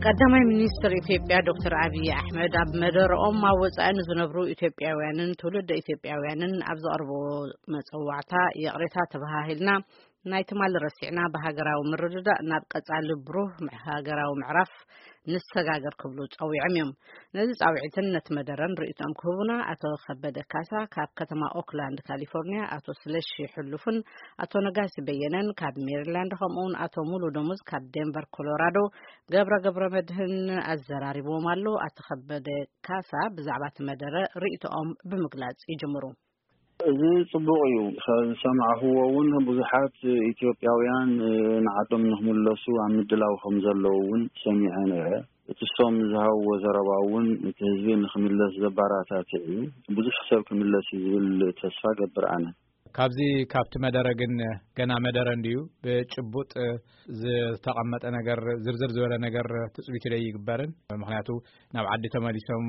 ቀዳማይ ሚኒስትር ኢትዮጵያ ዶክተር ኣብይ ኣሕመድ ኣብ መደረኦም ኣብ ወጻኢ ንዝነብሩ ኢትዮጵያውያንን ትውልደ ኢትዮጵያውያንን ኣብ ዘቕርብዎ መጸዋዕታ፣ ይቕሬታ ተበሃሂልና፣ ናይ ትማሊ ረሲዕና፣ ብሃገራዊ ምርድዳእ ናብ ቀጻሊ ብሩህ ምዕ-፣ ሃገራዊ ምዕራፍ ንሰጋገር ክብሉ ጸዊዖም እዮም። ነዚ ጻውዒትን ነቲ መደረን ርእይቶኦም ክህቡና፣ ኣቶ ከበደ ካሳ ካብ ከተማ ኦክላንድ ካሊፎርኒያ፣ ኣቶ ስለሺ ሕሉፍን ኣቶ ነጋሲ በየነን ካብ ሜሪላንድ፣ ከምኡውን ኣቶ ሙሉ ደሞዝ ካብ ዴንቨር ኮሎራዶ፣ ገብረ ገብረ መድህን ኣዘራሪብዎም ኣሎ። ኣቶ ከበደ ካሳ ብዛዕባ እቲ መደረ ርእይቶኦም ብምግላጽ ይጅምሩ። እዚ ጽቡቕ እዩ። ዝሰማዕኽዎ እውን ብዙሓት ኢትዮጵያውያን፣ እ፣ ንዓዶም ንኽምለሱ ኣብ ምድላው ከም ዘለዉ እውን ሰሚዐ ነይረ። እቲ እሶም ዝሃብዎ ዘረባ እውን እቲ ህዝቢ ንኽምለስ ዘባራታትዕ እዩ። ብዙሕ ሰብ ክምለስ እዩ ዝብል ተስፋ ገብር ኣነ። ካብዚ፣ ካብቲ መደረ ግን ገና መደረ እንድዩ፣ ብጭቡጥ ዝተቐመጠ ነገር፣ ዝርዝር ዝበለ ነገር ትጽቢት ደይግበርን። ምኽንያቱ ናብ ዓዲ ተመሊሶም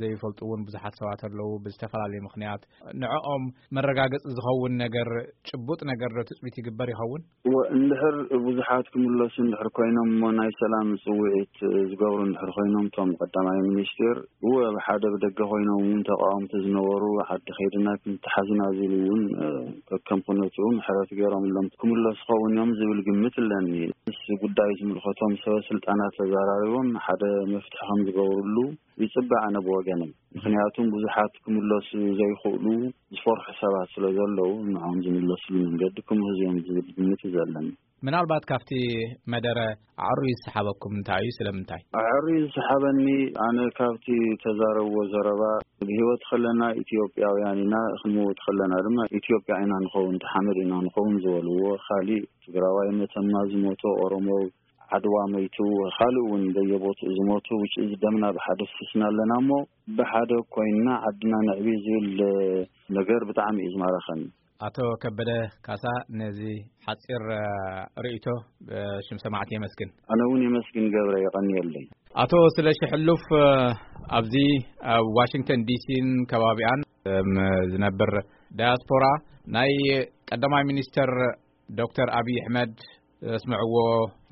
ዘይፈልጡ እውን ብዙሓት ሰባት ኣለዉ። ብዝተፈላለየ ምኽንያት ንዕኦም መረጋገጺ ዝኸውን ነገር፣ ጭቡጥ ነገር ዶ ትጽቢት ይግበር ይኸውን? እወ፣ እንድሕር ብዙሓት ክምለሱ እንድሕር ኮይኖም እሞ ናይ ሰላም ጽውዒት ዝገብሩ እንድሕር ኮይኖም፣ እቶም ቀዳማይ ሚኒስቴር፣ እወ፣ ብሓደ ብደገ ኮይኖም እውን ተቃወምቲ ዝነበሩ፣ ዓዲ ከይድና ክንተሓዝና ዝብሉ እውን፣ እ፣ ከከም ኩነትኡ ምሕረት ገይሮምሎም ክምለሱ ኸውን እዮም ዝብል ግምት ኣለኒ። ምስ ጉዳይ ዝምልከቶም ሰበ ስልጣናት ተዘራሪቦም ሓደ መፍትሒ ከም ዝገብርሉ ይጽበ ኣነ ብወገነይ። ምኽንያቱም ብዙሓት ክምለሱ ዘይኽእሉ ዝፈርሑ ሰባት ስለ ዘለዉ፣ ንዕኦም ዝምለስሉ መንገዲ ክምህዙ እዮም ዝብል ግምት እዩ ዘለኒ። ምናልባት ካብቲ መደረ ኣዕሩዩ ዝሰሓበኩም እንታይ እዩ? ስለምንታይ? ኣዕሩዩ ዝሰሓበኒ፣ ኣነ ካብቲ ተዛረብዎ ዘረባ፣ ብህይወት ከለና ኢትዮጵያውያን ኢና፣ ክንመውት ከለና ድማ ኢትዮጵያ ኢና ንኸውን፣ ተሓመድ ኢና ንኸውን ዝበልዎ፣ ካሊእ ትግራዋይ መተማ ዝሞቶ፣ ኦሮሞ ዓድዋ መይቱ፣ ካልእ እውን በየቦትኡ ዝሞቱ፣ ውጭ ደምና ብሓደ ፍስና ኣለና እሞ፣ ብሓደ ኮይንና ዓድና ነዕቢ ዝብል ነገር ብጣዕሚ እዩ ዝማረኸኒ። ኣቶ ከበደ ካሳ፣ ነዚ ሓጺር፣ እ፣ ርእይቶ ብሽም ሰማዕቲ የመስግን። ኣነ እውን የመስግን ገብረ፣ የቐንየለይ። ኣቶ ስለሺ ሕሉፍ፣ እ፣ ኣብዚ ኣብ ዋሽንግተን ዲሲን ከባቢኣን፣ እም፣ ዝነብር ዳያስፖራ፣ ናይ ቀዳማይ ሚኒስተር ዶክተር ኣብይ ኣሕመድ ዘስምዕዎ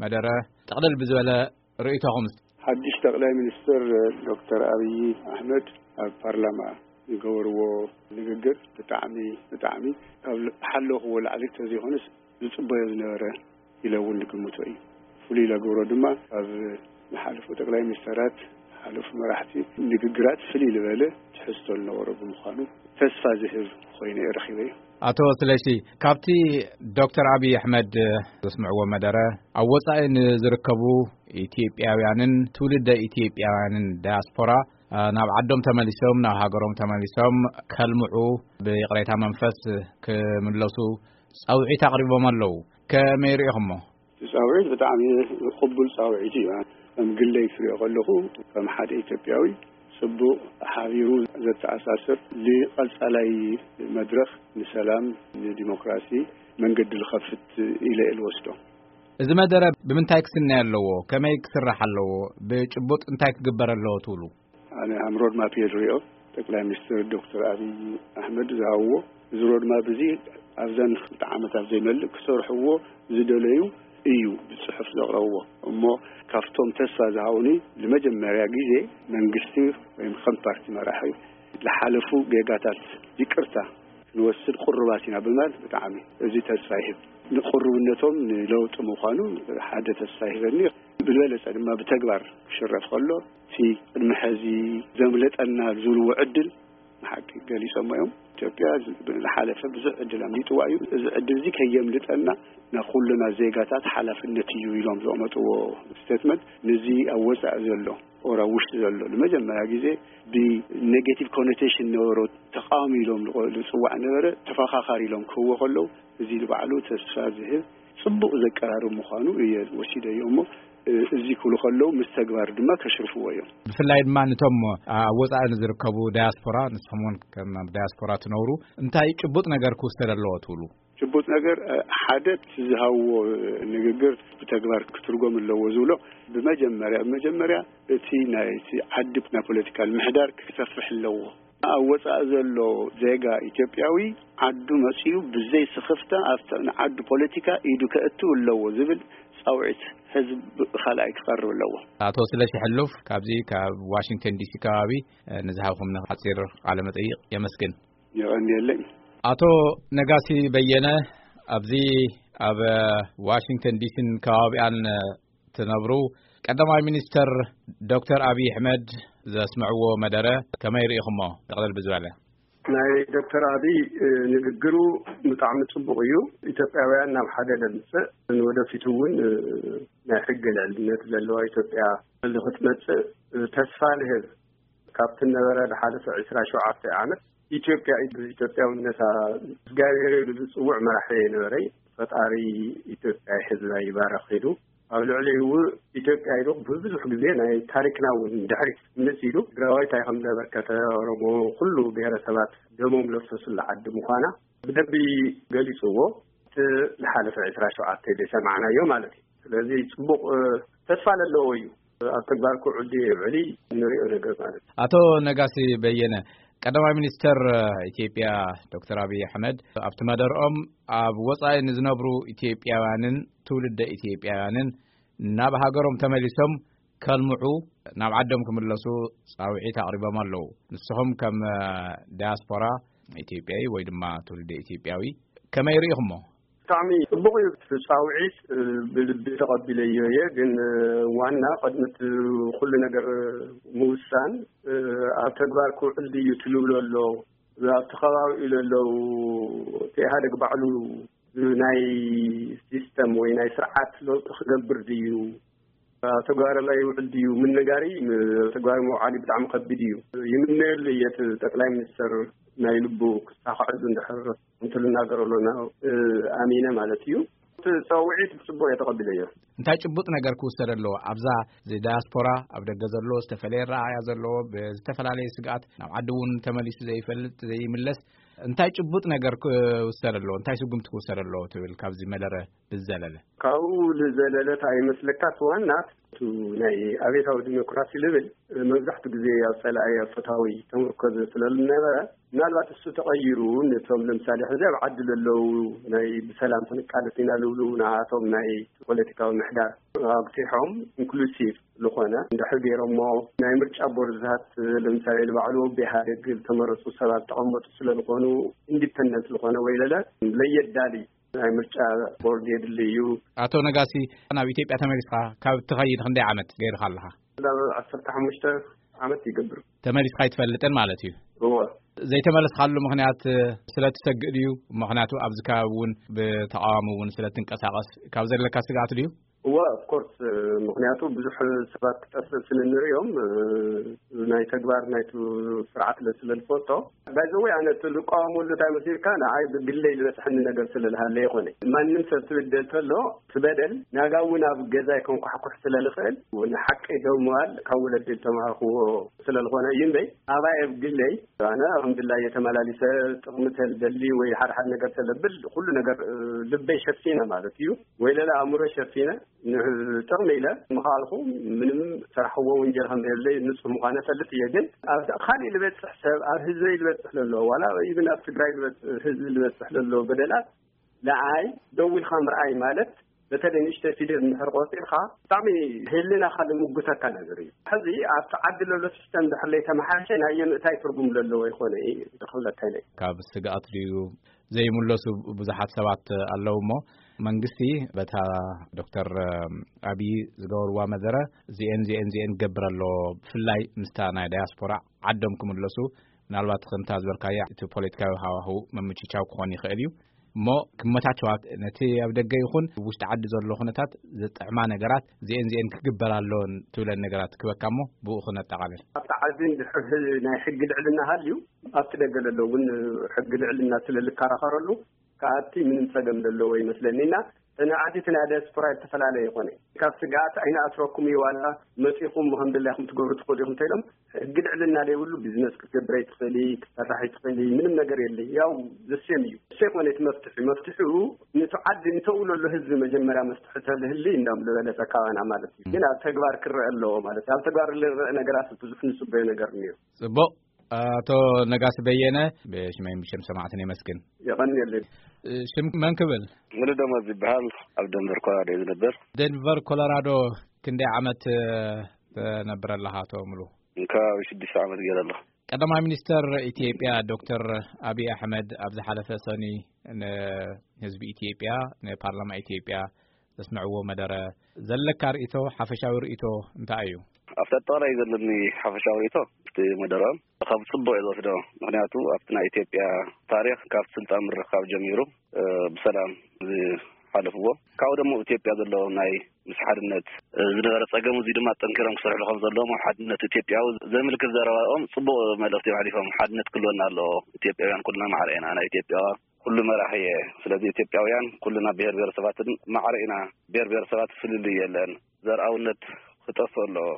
መደረ ጥቕልል ብዝበለ ርእይቶኹም። ሓድሽ ጠቕላይ ሚኒስትር ዶክተር ኣብይ ኣሕመድ ኣብ ፓርላማ ዝገበርዎ ንግግር ብጣዕሚ፣ ብጣዕሚ ካብ ዝሓለኽዎ ላዕሊ እንተዘይኮነስ ዝጽበዮ ዝነበረ ኢለ እውን ዝግምቶ እዩ። ፍሉይ ዘገብሮ ድማ ካብ ዝሓለፉ ጠቕላይ ሚኒስተራት፣ ዝሓለፉ መራሕቲ ንግግራት ፍልይ ዝበለ ትሕዝቶ ዝነበሮ ብምዃኑ ተስፋ ዝህብ ኮይኑ እየ ረኺበዮ። ኣቶ ስለሺ፣ ካብቲ ዶክተር ኣብይ ኣሕመድ ዘስምዕዎ መደረ፣ ኣብ ወጻኢ ንዝርከቡ ኢትዮጵያውያንን ትውልደ ኢትዮጵያውያንን ዳያስፖራ፣ እ፣ ናብ ዓዶም ተመሊሶም፣ ናብ ሃገሮም ተመሊሶም ከልምዑ፣ ብይቕሬታ መንፈስ ክምለሱ ጻውዒት ኣቕሪቦም ኣለዉ። ከመይ ርኢኹሞ? እቲ ጻውዒት ብጣዕሚ ቅቡል ጻውዒት እዩ። ከም ግለይ ክሪኦ ከለኹ፣ ከም ሓደ ኢትዮጵያዊ፣ ጽቡቕ ሓቢሩ ዘተኣሳስር፣ ንቐጻላይ መድረኽ ንሰላም፣ ንዲሞክራሲ መንገዲ ዝኸፍት ኢለ እየ ዝወስዶ። እዚ መደረ ብምንታይ ክስነ ኣለዎ? ከመይ ክስራሕ ኣለዎ? ብጭቡጥ እንታይ ክግበር ኣለዎ ትብሉ? ኣነ ሃም ሮድማፕ እየ ዝሪኦ። ጠቅላይ ሚኒስትር ዶክተር ኣብይ ኣሕመድ ዝሃብዎ እዚ ሮድማፕ እዚ ኣብዘን ክልተ ዓመታት ዘይመልእ ክሰርሕዎ ዝደለዩ እዩ ብጽሑፍ ዘቕረብዎ። እሞ ካብቶም ተስፋ ዝሃቡኒ፣ ንመጀመርያ ግዜ መንግስቲ ወይም ከም ፓርቲ መራሒ ዝሓለፉ ጌጋታት ይቅርታ ክንወስድ ቅሩባት ኢና ብምባል ብጣዕሚ እዚ ተስፋ ይህብ። ንቅሩብነቶም ንለውጢ ምዃኑ ሓደ ተስፋ ይህበኒ። ብዝበለጸ ድማ ብተግባር ክሽረፍ ከሎ፣ እቲ ቅድሚ ሕዚ ዘምለጠና ዝብልዎ ዕድል ንሓቂ ገሊጾሞ እዮም። ኢትዮጵያ ዝሓለፈ ብዙሕ ዕድል ኣምሊጥዋ እዩ። እዚ ዕድል እዚ ከየምልጠና ናይ ኩልና ዜጋታት ሓላፍነት እዩ ኢሎም ዘቐመጥዎ ስቴትመንት፣ ነዚ ኣብ ወጻኢ ዘሎ ኦር ኣብ ውሽጢ ዘሎ ንመጀመርያ ግዜ ብኔጌቲቭ ኮኖቴሽን ነበሮ ተቃዋሚ ኢሎም ዝቆ-፣ ዝጽዋዕ ነበረ፣ ተፈኻኻሪ ኢሎም ክህዎ ከለዉ፣ እዚ ንባዕሉ ተስፋ ዝህብ ጽቡቕ ዘቀራርብ ምዃኑ እየ ወሲደዮ እሞ፣ እ፣ እዚ ክብሉ ከለዉ ምስ ተግባር ድማ ከሽርፍዎ እዮም። ብፍላይ ድማ ነቶም ኣብ ወጻኢ ንዝርከቡ ዳያስፖራ፣ ንስኹም እውን ከም ዳያስፖራ ትነብሩ፣ እንታይ ጭቡጥ ነገር ክውሰድ ኣለዎ ትብሉ? ጭቡጥ ነገር፣ እ፣ ሓደ እቲ ዝሃብዎ ንግግር ብተግባር ክትርጎም ኣለዎ ዝብሎ፣ ብመጀመርያ፣ ብመጀመርያ እቲ ናይ፣ እቲ ዓዲ ናይ ፖለቲካል ምሕዳር ክሰፍሕ ኣለዎ። ኣብ ወጻኢ ዘሎ ዜጋ ኢትዮጵያዊ ዓዱ መጺኡ ብዘይ ስኽፍታ ኣብቲ ንዓዱ ፖለቲካ ኢዱ ከእትው ኣለዎ ዝብል ጻውዒት ህዝብ ካልኣይ ክቐርብ ኣለዎ። ኣቶ ስለሺ ሕሉፍ ካብዚ ካብ ዋሽንግተን ዲሲ ከባቢ፣ እ፣ ንዝሃብኩምና ሓጺር ቃለ መጠይቕ የመስግን። የቐንየለይ። ኣቶ ነጋሲ በየነ፣ ኣብዚ ኣብ ዋሽንግተን ዲሲን ከባቢኣን ትነብሩ፣ ቀዳማይ ሚኒስተር ዶክተር ኣብይ ኣሕመድ ዘስምዕዎ መደረ ከመይ ርኢኹሞ? ጠቕለል ብዝበለ። ናይ ዶክተር ኣብይ፣ እ፣ ንግግሩ ብጣዕሚ ጽቡቕ እዩ። ኢትዮጵያውያን ናብ ሓደ ለምጽእ፣ ንወደፊቱ እውን፣ እ፣ ናይ ሕጊ ልዕልነት ዘለዋ ኢትዮጵያ ንኽትመጽእ፣ እ፣ ተስፋ ንህብ። ካብቲ ነበረ ዝሓለፈ ዕስራ ሸውዓተ ዓመት ኢትዮጵያ ኢትዮጵያውነታ እግዚኣብሔር ኢሉ ዝጽውዕ መራሒ የነበረ። ፈጣሪ ኢትዮጵያ ህዝባ ይባረኽ ኢሉ፣ ኣብ ልዕሊኡ ኢትዮጵያ ኢሉ ብዙሕ ግዜ ናይ ታሪክና እውን ድሕሪት ምልስ ኢሉ ትግራዋይ እንታይ ከም ዘበርከተ፣ ኦሮሞ፣ ኩሉ ብሔረሰባት ደሞም ዘፍሰሱላ ዓዲ ምዃና ብደንቢ ገሊጽዎ። እቲ ዝሓለፈ ዕስራ ሸውዓተ ዘይሰማዕናዮ ማለት እዩ። ስለዚ ጽቡቕ፣ እ፣ ተስፋ ዘለዎ እዩ። ኣብ ተግባር ክውዕል ድዩ ይውዕል ንሪኦ ነገር ማለት እዩ። ኣቶ ነጋሲ በየነ፣ ቀዳማይ ሚኒስተር ኢትዮጵያ ዶክተር ኣብይ ኣሕመድ ኣብቲ መደርኦም ኣብ ወጻኢ ንዝነብሩ ኢትዮጵያውያንን ትውልደ ኢትዮጵያውያንን ናብ ሃገሮም ተመሊሶም ከልምዑ፣ ናብ ዓዶም ክምለሱ ጻውዒት ኣቕሪቦም ኣለዉ። ንስኹም ከም፣ እ፣ ዳያስፖራ ኢትዮጵያዊ ወይ ድማ ትውልደ ኢትዮጵያዊ ከመይ ርኢኹሞ? ብጣዕሚ ጽቡቕ እዩ እቲ ጻውዒት፣ እ፣ ብልቢ ተቐቢለዮ እየ። ግን፣ እ፣ ዋና ቅድሚ እቲ ኩሉ ነገር ምውሳን፣ እ፣ ኣብ ተግባር ክውዕል ድዩ ትልብሎ ኣሎ፣ ኣብቲ ከባቢኡ ዘለዉ እቲ ኢህኣደግ ባዕሉ ናይ ሲስተም ወይ ናይ ስርዓት ለውጢ ክገብር ድዩ፣ ኣብ ተግባር ላይ ይውዕል ድዩ ምንጋሪ፣ ም-፣ ተግባር ምውዓል ብጣዕሚ ከቢድ እዩ። ይምነየሉ እየ እቲ ጠቅላይ ሚኒስትር ናይ ልቡ ክሳኽዐሉ እንድሕር እንተ ልናገረሉ ና-፣ እ፣ ኣሚነ ማለት እዩ። እቲ ጸውዒት ብጽቡቅ እየ ተቐቢለዮ። እንታይ ጭቡጥ ነገር ክውሰድ ኣለዎ? ኣብዛ ዚ-፣ ዳያስፖራ ኣብ ደገ ዘሎ ዝተፈላለየ ረኣያ ዘለዎ ብዝተፈላለየ ስግኣት ናብ ዓዲ እውን ተመሊሱ ዘይፈልጥ ዘይምለስ እንታይ ጭቡጥ ነገር ክውሰድ ኣለዎ? እንታይ ስጉምቲ ክውሰድ ኣለዎ ትብል ካብዚ መደረ ብዝዘለለ? ካብኡ ዝዘለለ እንታይ ይመስለካ? እቲ ዋና እቲ ናይ ኣብዮታዊ ዲሞክራሲ ልብል መብዛሕትኡ ግዜ ኣብ ጸላኢ ኣብ ፈታዊ ተመርኮዘ ስለ ዝነበረ፣ ምናልባት እሱ ተቐይሩ ነቶም ለምሳሌ ሕዚ ኣብ ዓዲ ዘለዉ ናይ ብሰላም ክንቃለስ ኢና ዝብሉ ንኣቶም ናይ ፖለቲካዊ ምሕዳር ኣግፊሖም ኢንክሉሲቭ ዝኾነ እንድሕር ገይሮሞ ናይ ምርጫ ቦርድታት ለምሳሌ ንባዕሉ ብኢህኣደግ ዝተመረፁ ሰባት ተቐመጡ ስለ ዝኾኑ ኢንዲፐንደንት ዝኾነ ወይለለ ለየዳሊ ናይ ምርጫ ቦርድ የድሊ እዩ። ኣቶ ነጋሲ፣ ናብ ኢትዮጵያ ተመሊስካ ካብ ትኸይድ ክንደይ ዓመት ገይርካ ኣለኻ? ናብ ዓሰርተ ሓሙሽተ ዓመት ይገብር። ተመሊስካ ኣይትፈልጥን ማለት እዩ? እወ። ዘይተመለስካሉ ምኽንያት ስለ ትሰግእ ድዩ? ምኽንያቱ ኣብዚ ከባቢ እውን ብተቃዋሚ እውን ስለ ትንቀሳቐስ ካብ ዘለካ ስግኣት ድዩ? እወ፣ ኦፍ ኮርስ፣ ምኽንያቱ ብዙሕ ሰባት ክጠፍእ ስለ ንሪኦም፣ እ፣ ናይ ተግባር ናይቲ ስርዓት ስለ ዝፈልጦ። ባይ ዘ ወይ፣ ኣነ እቲ ዝቃወመሉ እንታይ መሲልካ፣ ንዓይ ብግለይ ዝበፅሐኒ ነገር ስለ ዝሃለ ይኾነ። ማንም ሰብ ትብደል ተሎ፣ እቲ በደል ናጋ እውን ኣብ ገዛይ ከንኳሕኩሕ ስለ ዝኽእል፣ ንሓቀይ ደው ምባል ካብ ወለዲ ዝተማሃርክዎ ስለ ዝኾነ እዩ እምበይ፣ ኣባይ ኣብ ግለይ ኣነ ኣልሓምዱሊላህ እየ ተመላሊሰ፣ ጥቕሚ ተልደሊ ወይ ሓደ ሓደ ነገር ተለብል፣ ኩሉ ነገር፣ እ፣ ልበይ ሸፊነ ማለት እዩ፣ ወይ ለለ ኣእምሮ ሸፊነ፣ ን-፣ ጥቕሚ ኢለ ምኻልኩ ምንም ሰራሕዎ ወንጀል ከም የብለይ ንጹህ ምዃነ ፈልጥ እየ። ግን ኣብ ካልእ ልበጽሕ ሰብ፣ ኣብ ህዝበይ ልበጽሕ ለሎ፣ ዋላ ኢብን ኣብ ትግራይ ልበጽ-፣ ህዝቢ ልበጽሕ ለሎ በደላት ንኣይ ደው ኢልካ ምርኣይ ማለት፣ በተለይ ንእሽተይ ፊደል እንድሕር ቆጺርካ፣ ብጣዕሚ ህልናኻ ልምጉተካ ነገር እዩ። ሕዚ ኣብቲ ዓዲ ለሎ ሲስተም እንድሕር ለይተመሓሸ፣ ናይ የምእታይ ትርጉም ለለዎ ይኾነ እዩ ክብለካ ኢለ። ካብ ስግኣት ድዩ ዘይምለሱ ብዙሓት ሰባት ኣለዉ እሞ፣ መንግስቲ በታ ዶክተር ኣብይ ዝገበርዋ መደረ፣ እዚኤን፣ እዚኤን፣ እዚኤን ክገብር ኣለዎ፣ ብፍላይ ምስታ ናይ ዳያስፖራ ዓዶም ክምለሱ፣ ምናልባት ከምታ ዝበልካያ እቲ ፖለቲካዊ ሃዋህው ምምችቻው ክኾን ይኽእል እዩ። እሞ ክመቻቸዋ፣ ነቲ ኣብ ደገ ይኹን ውሽጢ ዓዲ ዘሎ ኩነታት ዘጥዕማ ነገራት፣ እዚኤን እዚኤን ክግበር ኣለወን ትብለን ነገራት ክበካ እሞ ብኡ ክነጠቓልል። ኣብቲ ዓዲ እንድሕር ናይ ሕጊ ልዕልና ሃልዩ፣ ኣብቲ ደገ ዘሎ እውን ሕጊ ልዕልና ስለ ልከራኸረሉ፣ ከኣቲ ምንም ጸገም ዘለዎ ይመስለኒ። እና እቲ ናይ ዓዲ እቲ ናይ ዲያስፖራ ዝተፈላለየ ይኾነ። ካብ ስግኣት ኣይንኣስረኩም እዩ፣ ዋላ መጺኹም ከም ድላይኩም ትገብሩ ትኽእሉ ኢኹም እንተኢሎም፣ ሕጊ ልዕልና ዘይብሉ ቢዝነስ ክትገብር ኣይትኽእሊ፣ ክትሰርሕ ኣይትኽእሊ፣ ምንም ነገር የለ። ያው ዘሴም እዩ። እሱ ይኾነ እቲ መፍትሒ። መፍትሒኡ ነቲ ዓዲ ንተውለሉ ህዝቢ መጀመርያ መፍትሒ ተልህሊ እንዳም ዝበለጸ ካባና ማለት እዩ። ግን ኣብ ተግባር ክረአ ኣለዎ ማለት እዩ። ኣብ ተግባር ዝረአ ነገራት ብዙሕ ንጽበዮ ነገር እኒኦ። ጽቡቕ። ኣቶ ነጋሲ በየነ፣ ብሽመይን ብሽም ሰማዕትን የመስግን። የቐንየለይ። ሽም መን ክብል? ሙሉ ደሞዝ ይበሃል። ኣብ ደንቨር ኮሎራዶ እዩ ዝነብር። ደንቨር ኮሎራዶ ክንደይ ዓመት ትነብር ኣለኻ ኣቶ ሙሉ? ከባቢ ሽዱሽተ ዓመት ገይረ ኣለኹ። ቀዳማይ ሚኒስተር ኢትዮጵያ ዶክተር ኣብይ ኣሕመድ ኣብ ዝሓለፈ ሰኒ ንህዝቢ ኢትዮጵያ፣ ንፓርላማ ኢትዮጵያ ዘስምዕዎ መደረ፣ ዘለካ ርእይቶ፣ ሓፈሻዊ ርእይቶ እንታይ እዩ? ኣብቲ ኣጠቓላይ ዘለኒ ሓፈሻዊ ርእይቶ፣ እቲ መደረኦም ካብ ጽቡቕ እየ ዝወስዶ። ምኽንያቱ ኣብቲ ናይ ኢትዮጵያ ታሪኽ ካብ ስልጣን ምርኻብ ጀሚሩ፣ እ፣ ብሰላም ዝሓለፍዎ፣ ካብኡ ደሞ ኢትዮጵያ ዘሎ ናይ ምስ ሓድነት፣ እ፣ ዝነበረ ጸገም፣ እዚ ድማ ጠንኪሮም ክሰርሕሉ ከም ዘለዎም፣ ኣብ ሓድነት ኢትዮጵያዊ ዘምልክት ዘረባኦም ጽቡቕ መልእኽቲ እዮም ኣሕሊፎም። ሓድነት ክህልወና ኣለዎ። ኢትዮጵያውያን ኩልና ማዕረ ኢና። ናይ ኢትዮጵያ ኩሉ መራሒ እየ። ስለዚ ኢትዮጵያውያን ኩልና ብሄር ብሄረሰባትን ማዕረ ኢና። ብሄር ብሄረሰባት ፍልልይ የለን። ዘርኣውነት ክጠፍእ ኣለዎ።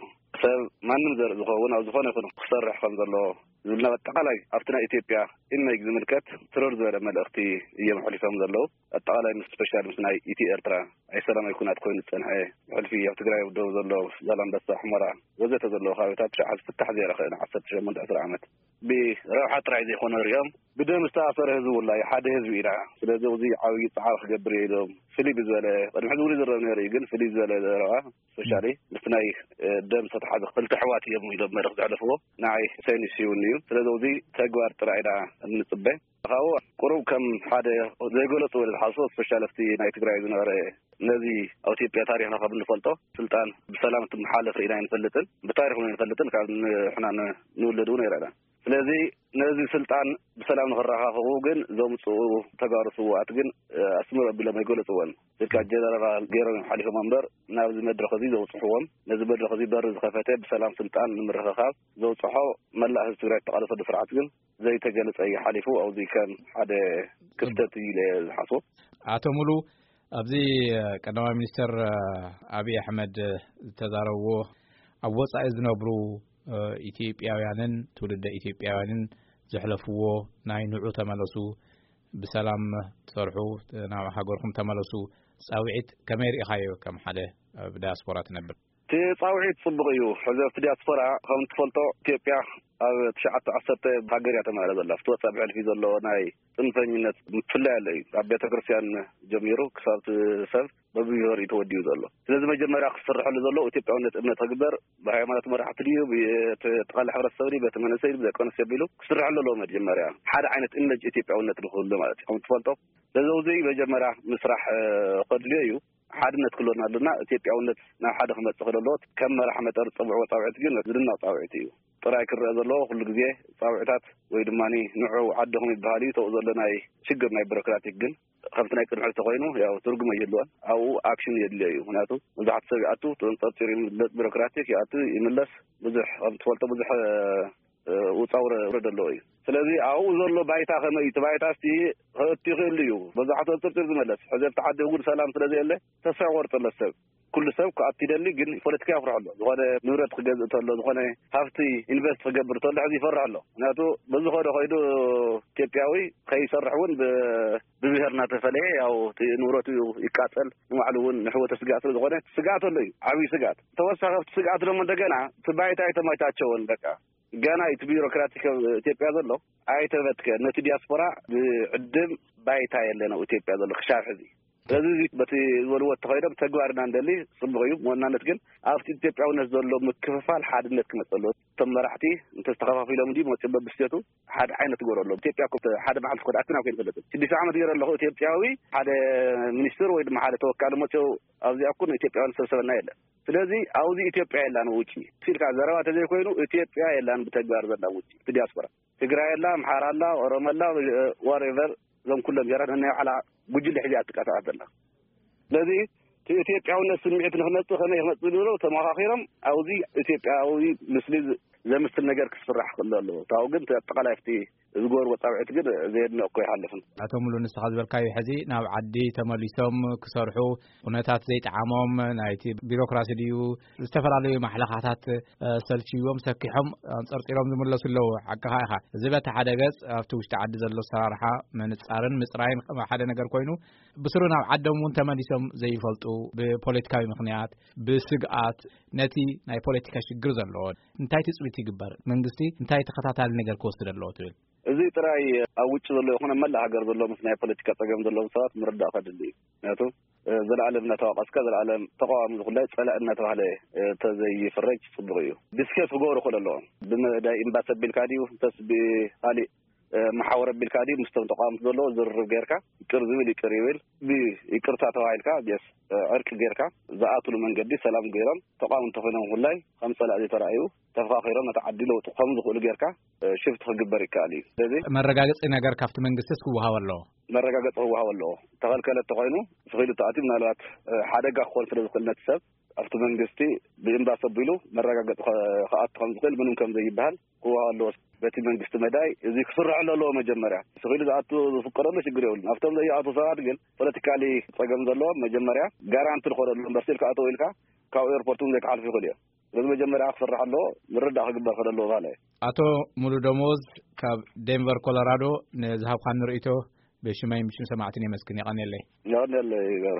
ሰብ ማንም ዘርኢ ዝኸውን ኣብ ዝኾነ ይኹን ክሰርሕ ከም ዘለዎ ዝብልና፣ ኣጠቓላይ ኣብቲ ናይ ኢትዮጵያ ኢመጅ ዝምልከት ትርር ዝበለ መልእኽቲ እዮም ኣሕሊፎም ዘለዉ። ኣጠቓላይ ምስ ስፔሻል ምስ ናይ ኢትዮ ኤርትራ ኣይሰላማዊ ኩናት ኮይኑ ዝጸንሐ፣ ብሕልፊ ኣብ ትግራይ ደው ዘሎ ዛላምበሳ፣ ሑመራ ወዘተ ዘለዉ ከባቢታት ሽዓ ዝፍታሕ ዘይረኸበ ንዓሰርተ ሸሞንተ ዓሰርተ ዓመት ብረብሓ ጥራይ ዘይኮነ ሪኦም ብደም ዝተኣሰረ ህዝቢ ውላ እዩ። ሓደ ህዝቢ ኢና። ስለዚ እዚ ዓብዪ ጻዕሪ ክገብር እየ ኢሎም ፍልይ ብዝበለ፣ ቅድሚ ሕዚ እውን ይዝረብ ነይሩ እዩ፣ ግን ፍልይ ዝበለ ዘረባ ስፔሻሊ ምስቲ ናይ፣ እ፣ ደም ዝተተሓዘ ክልተ ኣሕዋት እዮም ኢሎም መልእኽቲ ዘሕለፍዎ። ንዓይ ሰይኑ ሲውን እዩ። ስለዚ እዚ ተግባር ጥራይ ኢና እንጽበ። ካብኡ ቁሩብ ከም ሓደ ዘይገለጽዎ ኢለ ዝሓስቦ፣ ስፔሻል ኣብቲ ናይ ትግራይ ዝነበረ፣ ነዚ ኣብ ኢትዮጵያ ታሪኽና ካብ እንፈልጦ ስልጣን ብሰላም እንትመሓለፍ ርኢና ኣይንፈልጥን፣ ብታሪኽ እውን ኣይንፈልጥን፣ ካብ ንሕና ን-፣ ንውለድ እውን ኣይረኣናን። ስለዚ ነዚ ስልጣን ብሰላም ንኽረኻኽቡ ግን ዘምጽኡ ተጋሩ ስውኣት ግን፣ እ፣ ኣስምር ኣቢሎም ኣይገለጽዎን። ስልካ ጀነራል ገይሮም እዮም ሓሊፎም እምበር ናብዚ መድረኽ እዚ ዘውጽሕዎም፣ ነዚ መድረኽ እዚ በሪ ዝኸፈተ ብሰላም ስልጣን ንምርኽኻብ ዘውጽሖ መላእ ህዝቢ ትግራይ ተቓለሰሉ ስርዓት ግን ዘይተገለጸ እዩ ሓሊፉ። ኣብዚ ከም ሓደ ክፍተት እዩ ኢለ ዝሓስቦ። ኣቶ ሙሉ፣ ኣብዚ ቀዳማይ ሚኒስትር ኣብይ ኣሕመድ ዝተዛረብዎ፣ ኣብ ወጻኢ ዝነብሩ ኢትዮጵያውያንን ትውልደ ኢትዮጵያውያንን ዘሕለፍዎ ናይ ንዑ ተመለሱ፣ ብሰላም ትሰርሑ፣ ናብ ሃገርኩም ተመለሱ ጻውዒት ከመይ ርኢኻዮ ከም ሓደ ኣብ ዳያስፖራ ትነብር? እቲ ጻውዒት ጽቡቕ እዩ። ሕዚ ኣብቲ ዲያስፖራ ከም ትፈልጦ ኢትዮጵያ ኣብ ትሽዓተ ዓሰርተ ሃገር እያ ተማህረ ዘላ። ኣብቲ ወጻኢ ብሕልፊ ዘሎ ናይ ጽንፈኝነት ምፍላይ ኣሎ እዩ። ካብ ቤተ ክርስቲያን ጀሚሩ ክሳብ እቲ ሰብ በብብሄሩ እዩ ተወዲኡ ዘሎ። ስለዚ መጀመርያ ክስርሐሉ ዘለዎ ኢትዮጵያውነት እምነት ክግበር፣ ብሃይማኖት መራሕቲ ድዩ፣ ብተቓላሊ ሕብረተሰብ ድዩ፣ ቤተ መንእሰይ ድዩ፣ ብደቂ ኣንስትዮ ቢሉ ክስርሐሉ ኣለዎ። መጀመርያ ሓደ ዓይነት እምነት ኢትዮጵያውነት ንክህሉ ማለት እዩ። ከም ትፈልጦ ስለዚ እዚ መጀመርያ ምስራሕ፣ እ፣ ከድልዮ እዩ። ሓድነት ክህልወና ኣለና። ኢትዮጵያውነት ናብ ሓደ ክመጽእ ክደለዎ ከም መራሕ መጠር ዝጸውዕዎ ጻውዒት ግን ዝድነቕ ጻውዒት እዩ። ጥራይ ክረአ ዘለዎ ኩሉ ግዜ ጻውዒታት ወይ ድማ ንዑ ዓድኹም ይበሃል እዩ። ተው ዘሎ ናይ ሽግር ናይ ቢሮክራቲክ ግን ከምቲ ናይ ቅድሚ ሕዚ ተኮይኑ ያው ትርጉም ኣይህልዎን። ኣብኡ ኣክሽን የድልዮ እዩ። ምክንያቱ መብዛሕትኡ ሰብ ይኣቱ፣ ተንጠርጢሩ ይምለስ፣ ቢሮክራቲክ ይኣቱ ይምለስ። ብዙሕ ከም ትፈልጦ ብዙሕ፣ እ፣ ውጻ ውረድ ኣለዎ እዩ። ስለዚ ኣብኡ ዘሎ ባይታ ከመይ እዩ? እቲ ባይታ እስቲ ክእቱ ይኽእል እዩ። መብዛሕትኡ ኣብ ጥርጥር ዝመለስ። ሕዚ ኣብቲ ዓዲ ህጉድ ሰላም ስለ ዘየለ ተስፋ ይቆርጥ ኣሎ ሰብ። ኩሉ ሰብ ክኣቱ ይደሊ፣ ግን ፖለቲካ የፍርሖ ኣሎ። ዝኾነ ንብረት ክገዝእ ተሎ፣ ዝኾነ ሃፍቲ ኢንቨስት ክገብር ተሎ፣ ሕዚ ይፈርሕ ኣሎ። ምክንያቱ በዚ ኸዶ ኸይዱ ኢትዮጵያዊ ከይሰርሕ እውን ብ-፣ ብብሄር እናተፈለየ ያው እቲ ንብረቱ ይቃጸል፣ ንባዕሉ እውን ንሕወተ ስጋእ ስለ ዝኾነ ስጋት ኣሎ እዩ፣ ዓብዪ ስጋት። ተወሳኺ ኣብቲ ስጋት ደሞ እንደገና እቲ ባይታ ኣይተመቻቸወን። በቃ ገና እቲ ቢሮክራቲክ ኣብ ኢትዮጵያ ዘሎ ኣይተበትከ። ነቲ ዲያስፖራ ዝዕድም ባይታ የለን ኣብ ኢትዮጵያ ዘሎ ክሻብ ሕዚ። ስለዚ እዚ በቲ ዝበልዎ እተኸይዶም ተግባር ኢና ንደሊ፣ ጽቡቕ እዩ። ብዋናነት ግን ኣብቲ ኢትዮጵያውነት ዘሎ ምክፍፋል ሓድነት ክመጽእ ኣለዎ። እቶም መራሕቲ እንተዝተኸፋፊሎም ድዩ መጽኡ በብስቴቱ ሓደ ዓይነት ግበሩ ኣለዎም። ኢትዮጵያ እኮ ሓደ መዓልቲ እኮ ተኣኪብና እኮ ኣይንፈልጥን። ሽዱሽተ ዓመት ገይረ ኣለኹ ኢትዮጵያዊ ሓደ ሚኒስትር ወይ ድማ ሓደ ተወካሊ መጽኡ ኣብዚኣ እኮ ንኢትዮጵያውያን ዝሰብሰበና የለን። ስለዚ ኣብዚ ኢትዮጵያ የላን ውጪ ኢልካ ዘረባ ተዘይኮይኑ ኢትዮጵያ የላን ብተግባር ዘላ ውጪ እቲ ዲያስፖራ። ትግራይ ኣላ፣ ኣምሓራ ኣላ፣ ኦሮሞ ኣላ፣ ዋሬቨር እዞም ኩሎም ብሄራት ነናይ ባዕላ ጉጅለ ሒዛ እያ ትንቀሳቐስ ዘላ። ስለዚ እቲ ኢትዮጵያውነት ስምዒት ንክመጽእ ከመይ ክመጽእ ዝብሎ ተመኻኺሮም ኣብዚ ኢትዮጵያዊ ምስሊ ዝ-፣ ዘምስል ነገር ክስራሕ ክእል ኣለዎ። ታው ግን እቲ ኣጠቓላይ ኣብቲ ዝገበርዎ ጻውዒት ግን ዘየድንቕ እኮ ይሓልፍን። ኣቶ ሙሉ፣ ንስኻ ዝበልካዮ ሕዚ ናብ ዓዲ ተመሊሶም ክሰርሑ ኩነታት ዘይጠዓሞም፣ ናይቲ ቢሮክራሲ ድዩ፣ ዝተፈላለዩ ማሕለኻታት፣ እ፣ ሰልችዎም ሰኪሖም ኣንጸርጺሮም ዝምለሱ ኣለዉ። ሓቅኻ ኢኻ። እዚ በቲ ሓደ ገጽ ኣብቲ ውሽጢ ዓዲ ዘሎ ኣሰራርሓ ምንጻርን ምጽራይን ሓደ ነገር ኮይኑ፣ ብስሩ ናብ ዓዶም እውን ተመሊሶም ዘይፈልጡ፣ ብፖለቲካዊ ምኽንያት፣ ብስግኣት፣ ነቲ ናይ ፖለቲካ ሽግር ዘለዎ እንታይ ትጽቢት ይግበር? መንግስቲ እንታይ ተኸታታሊ ነገር ክወስድ ኣለዎ ትብል? እዚ ጥራይ ኣብ ውጭ ዘሎ ይኹን ኣብ መላእ ሃገር ዘሎ ምስ ናይ ፖለቲካ ጸገም ዘለዎም ሰባት ምርዳእ ከድሊ እዩ። ምክንያቱ፣ እ፣ ዘላለም እናተዋቀስካ ዘላለም ተቃዋሚ ዝኹላይ ጸላእ እናተባህለ፣ እ፣ ተዘይፍረጅ ጽቡቅ እዩ። ዲስከስ ክገብሩ ክኽእሉ ኣለዎም። ብመዳይ ኤምባሲ ኣቢልካ ድዩ፣ እንተስ ብኻሊእ፣ እ፣ መሓወር ኣቢልካ ድዩ፣ ምስቶም ተቃወምቲ ዘለዎ ዝርርብ ጌርካ፣ ይቅር ዝብል ይቅር ይብል፣ ብይቅርታ ተባሂልካ፣ ቢስ፣ እ፣ ዕርቂ ጌርካ፣ ዝኣትሉ መንገዲ ሰላም ገይሮም፣ ተቃወምቲ ኮይኖም ኩላይ ከም ጸላእ ዘይተራእዩ፣ ተፈኻኺሮም ነቲ ዓዲ ለውጡ ከም ዝኽእሉ ጌርካ፣ እ፣ ሽፍት ክግበር ይከኣል እዩ። ስለዚ መረጋገጺ ነገር ካብቲ መንግስቲስ ክወሃብ ኣለዎ። መረጋገጺ ክወሃብ ኣለዎ። ተኸልከለ እንተኾይኑ፣ ስኺሉ ተኣትዩ ምናልባት፣ እ፣ ሓደጋ ክኾን ስለ ዝኽእል ነቲ ሰብ፣ ኣብቲ መንግስቲ ብኤምባሲ ኣቢሉ መረጋገጺ ከ-፣ ክኣቱ ከም ዝኽእል ምንም ከም ዘይበሃል ክወሃብ ኣለዎ። በቲ መንግስቲ መዳይ እዚ ክስርሐሉ ኣለዎ። መጀመርያ ስኺሉ ዝኣቱ ዝፍቀደሉ ሽግር የብሉን። ኣብቶም ዘይኣቱ ሰባት ግን ፖለቲካሊ ጸገም ዘለዎም መጀመርያ ጋራንቲ ዝኾነሉ እምበር ስል ክኣተው ኢልካ ካብ ኤርፖርት እውን ዘይክሓልፉ ይኽእሉ እዮም። ስለዚ መጀመርያ ክስራሕ ኣለዎ፣ ምርዳእ ክግበር ከሎ ኣለዎ ማለት እዩ። ኣቶ ሙሉ ደሞዝ፣ ካብ ዴንቨር ኮሎራዶ፣ ንዝሃብካኒ ርእይቶ ብሽመይ ብሽም ሰማዕትን የመስግን። የቐንየለይ። የቐንየለይ ገብረ።